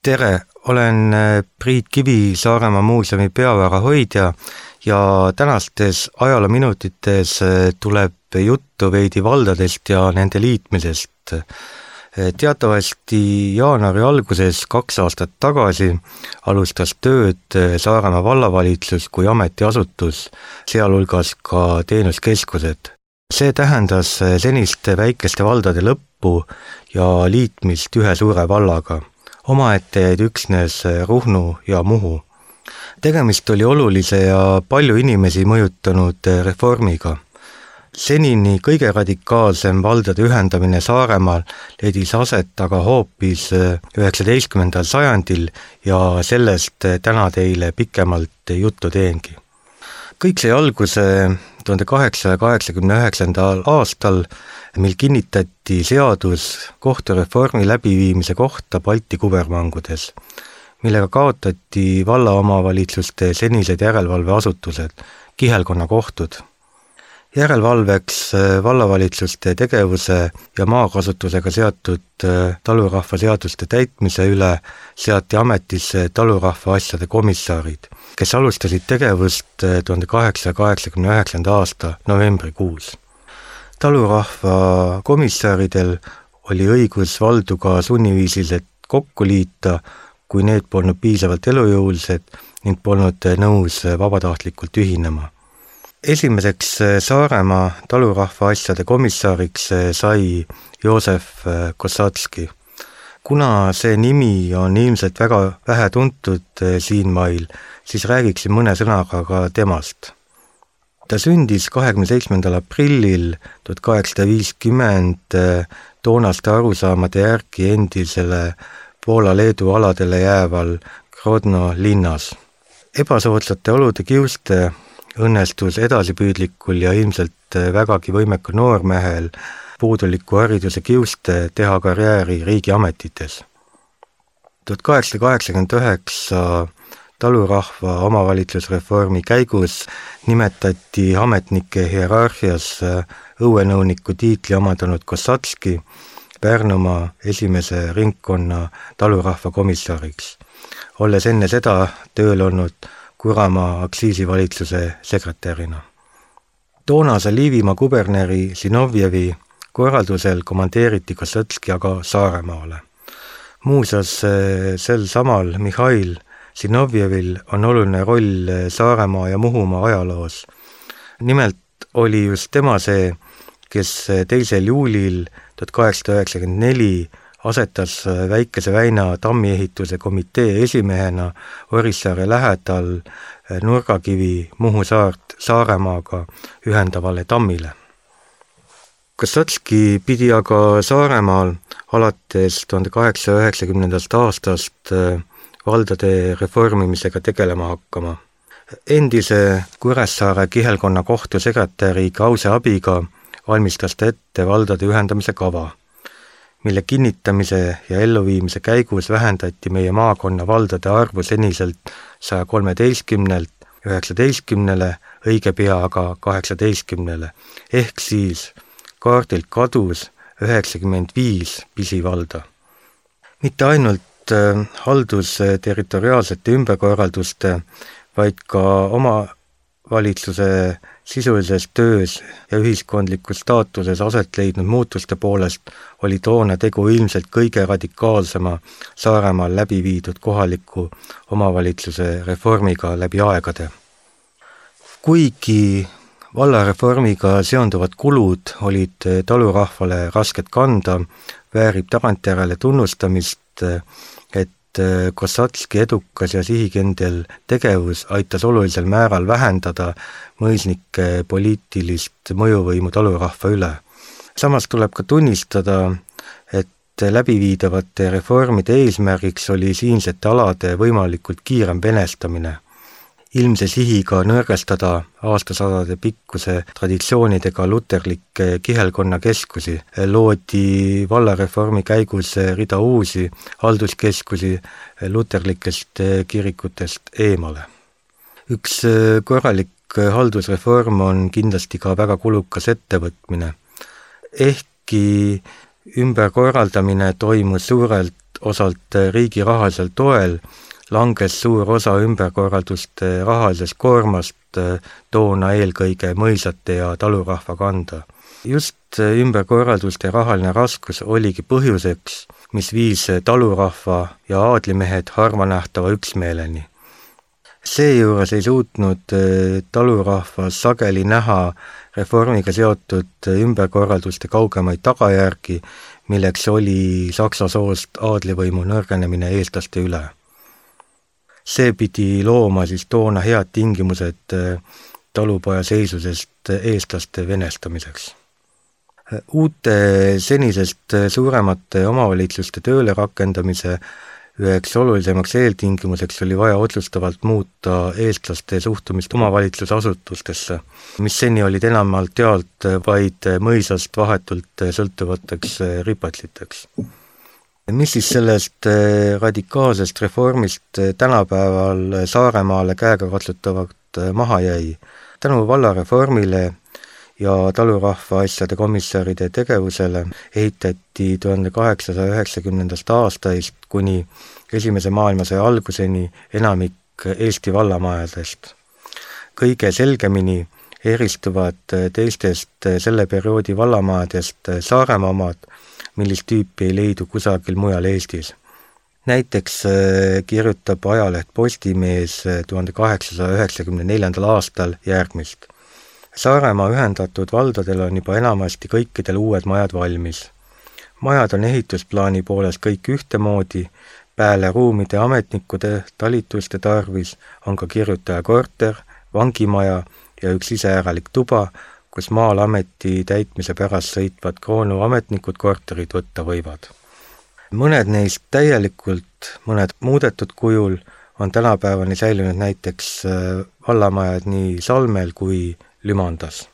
Tere, olen Priit Kivi, Saaremaa muuseumi peavara hoidja ja tänastes ajaloominutites tuleb juttu veidi valdadest ja nende liitmisest. Teatavasti jaanuari alguses 2 aastat tagasi alustas tööd Saaremaa vallavalitsus kui ametiasutus, sealhulgas ka teenuskeskused. See tähendas seniste väikeste valdade lõppu ja liitmist ühe suure vallaga. Omaette jäid üksnes Ruhnu ja Muhu. Tegemist oli olulise ja palju inimesi mõjutanud reformiga. Senini kõige radikaalsem valdade ühendamine Saaremaal leidis aset aga hoopis 19. sajandil ja sellest täna teile pikemalt juttu teengi. Kõik sai alguse 1889. aastal, mil kinnitati seadus kohtureformi läbiviimise kohta Balti kubermangudes, millega kaotati vallaomavalitsuste senised järelevalveasutused, kihelkonnakohtud. Järelevalveks vallavalitsuste tegevuse ja maakasutusega seotud talurahva seaduste täitmise üle seati ametisse talurahva asjade komissarid, kes alustasid tegevust 1889. aasta novembrikuus. Talurahva komissaridel oli õigus valdu ka sunniviisiliselt kokku liita, kui need polnud piisavalt elujõulised ning polnud nõus vabatahtlikult ühinema. Esimeseks Saaremaa talurahva asjade komissariks sai Joosef Kossatski. Kuna see nimi on ilmselt väga vähe tuntud siinmail, siis räägiksin mõne sõnaga ka temast. Ta sündis 27. aprillil 1850 toonaste arusaamade järgi endisele Poola-Leedu aladele jääval Grodno linnas. Ebasoodsate olude kiuste õnnestus edasipüüdlikul ja ilmselt vägagi võimekal noormehel puuduliku hariduse kiuste teha karjääri riigiametites. 1889 talurahva omavalitsusreformi käigus nimetati ametnike hierarhias õuenõuniku tiitli omandanud Kossatski Pärnumaa esimese ringkonna talurahva komissariks, olles enne seda tööl olnud Kuramaa aktsiisivalitsuse sekretärina. Toonase Liivimaa kuberneri Zinovjevi korraldusel komandeeriti Kossatski aga Saaremaale. Muuseas, sel samal Mihhail Zinovjevil on oluline roll Saaremaa ja Muhumaa ajaloos. Nimelt oli just tema see, kes 2. juulil 1894 asetas Väikese Väina tammiehituse komitee esimehena Orissaare lähedal Nurgakivi Muhu saart Saaremaaga ühendavale tammile. Kossatski pidi aga Saaremaal alates 1890. aastast valdade reformimisega tegelema hakkama. Endise Kuressaare kihelkonna kohtu sekretäri Krause abiga valmistas ta ette valdade ühendamise kava, mille kinnitamise ja elluviimise käigus vähendati meie maakonna valdade arvu seniselt 113-lt 19-le, õige pea aga 18-le, ehk siis kaardilt kadus 95 pisivalda. Mitte ainult haldusterritoriaalsete ümberkorralduste, vaid ka omavalitsuse sisulises töös ja ühiskondlikus staatuses aset leidnud muutuste poolest oli toona tegu ilmselt kõige radikaalsema Saaremaal läbi viidud kohaliku omavalitsuse reformiga läbi aegade. Kuigi vallareformiga seonduvad kulud olid talurahvale rasked kanda, väärib tagantjärele tunnustamist, et Kossatski edukas ja sihikindel tegevus aitas olulisel määral vähendada mõisnike poliitilist mõjuvõimu talurahva üle. Samas tuleb ka tunnistada, et läbiviidavate reformide eesmärgiks oli siinsete alade võimalikult kiirem venestamine. Ilmse sihiga nõrgestada aastasadade pikkuse traditsioonidega luterlikke kihelkonnakeskusi, loodi vallareformi käigus rida uusi halduskeskusi luterlikest kirikutest eemale. Üks korralik haldusreform on kindlasti ka väga kulukas ettevõtmine. Ehkki ümberkorraldamine toimus suurelt osalt riigi rahalisel toel langes suur osa ümberkorralduste rahalisest koormast toona eelkõige mõisate ja talurahva kanda. Just ümberkorralduste rahaline raskus oligi põhjuseks, mis viis talurahva ja aadlimehed harvanähtava üksmeeleni. Seejuures ei suutnud talurahvas sageli näha reformiga seotud ümberkorralduste kaugemaid tagajärgi, milleks oli saksa soost aadlivõimu nõrgenemine eestlaste üle. See pidi looma siis toona head tingimused talupoja seisusest eestlaste venestamiseks. Uute senisest suuremate omavalitsuste tööle rakendamise üheks olulisemaks eeltingimuseks oli vaja otsustavalt muuta eestlaste suhtumist omavalitsusasutustesse, mis seni olid enamalt jaolt vaid mõisast vahetult sõltuvateks ripatliteks. Mis siis sellest radikaalsest reformist tänapäeval Saaremaale käegakatsutavalt maha jäi? Tänu vallareformile ja talurahva asjade komissaride tegevusele ehitati 1890. aastaist kuni Esimese maailmasõja alguseni enamik Eesti vallamajadest. Kõige selgemini eristuvad teistest selle perioodi vallamajadest Saaremaa omad, millist tüüpi ei leidu kusagil mujal Eestis. Näiteks kirjutab ajaleht Postimees 1894. aastal järgmist. Saaremaa ühendatud valdadel on juba enamasti kõikidel uued majad valmis. Majad on ehitusplaani poolest kõik ühtemoodi, peale ruumide ametnikude talituste tarvis on ka kirjutaja korter, vangimaja ja üks iseäralik tuba, kus maal ameti täitmise pärast sõitvad kroonu ametnikud korterid võtta võivad. Mõned neist täielikult, mõned muudetud kujul on tänapäevani säilinud näiteks vallamajad nii Salmel kui Lümandas.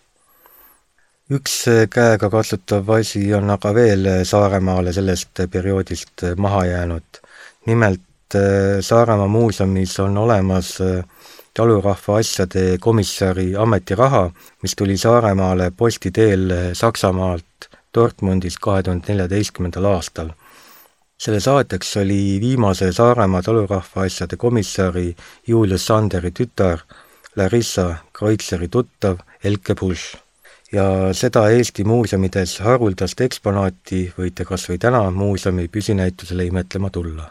Üks käega katsutav asi on aga veel Saaremaale sellest perioodist maha jäänud. Nimelt Saaremaa muuseumis on olemas talurahva asjade komissari ametiraha, mis tuli Saaremaale posti teel Saksamaalt Dortmundis 2014. aastal. Selle saatjaks oli viimase Saaremaa talurahva asjade komissari Julius Sanderi tütar Larissa Kreutzeri tuttav Elke Busch. Ja seda Eesti muuseumides haruldast eksponaati võite kas või täna muuseumi püsinäitusele imetlema tulla.